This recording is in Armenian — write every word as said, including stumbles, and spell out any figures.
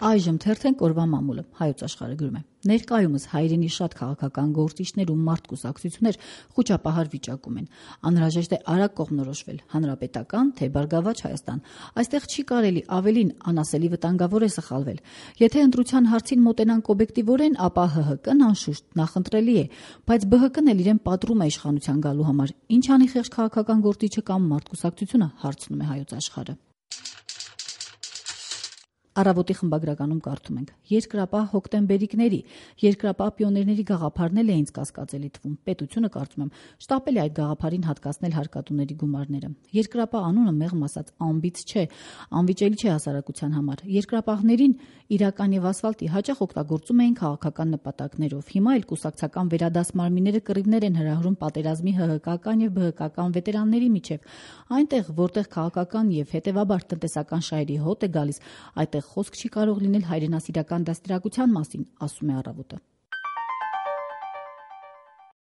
Այժմ թերթենք օրվա մամուլը, Հայոց աշխարհը գրում է. Ներկայումս հայրենի շատ քաղաքական գործիչներ ու մարդ-կուսակցություններ խուճապահար վիճակում են։ Անհրաժեշտ է արագ կողմնորոշվել՝ հանրապետական, թե Բարգավաճ Հայաստան։ Այստեղ չի կարելի, ավելին անասելի վտանգավոր է սխալվել։ Եթե ընտրության հարցին մոտենանք օբյեկտիվորեն, ապա ՀՀԿ-ն անշուշտ նախընտրելի է, բայց ԲՀԿ-ն էլ իրեն պատրում է իշխանության գալու համար։ Ինչ անի խեղճ քաղաքական գործիչը կամ մարդ-կուսակցությունը, հարցնում է Հայոց աշխարհը։ Առավոտի խմբագրականում կարդում ենք. Երկրապահ հոկտեմբերիկների, երկրապահ պիոներների գաղափարն էլ է ինձ կասկածելի թվում։ Պետությունը, կարծում եմ, շտապել է այդ գաղափարին հատկացնել հարկատուների գումարները։ Երկրապահ անունը մեղմ ասած անբիծ չէ, անվիճելի չէ հասարակության համար։ Երկրապահներին իրական եւ ասֆալտի հաճախ օգտագործում էին քաղաքական նպատակներով։ Հիմա էլ կուսակցական վերադաս մարմինները կռիվներ են հրահրում պատերազմի ՀՀԿ-ական եւ ԲՀԿ-ական վետերանների միջև։ Այնտեղ, որտեղ քաղաքական եւ հետեւաբար տնտեսական շահերի հոտ է գալիս, այդտեղ խոսք չի կարող լինել հայրենասիրական դաստիարակության մասին, ասում է Առավոտը։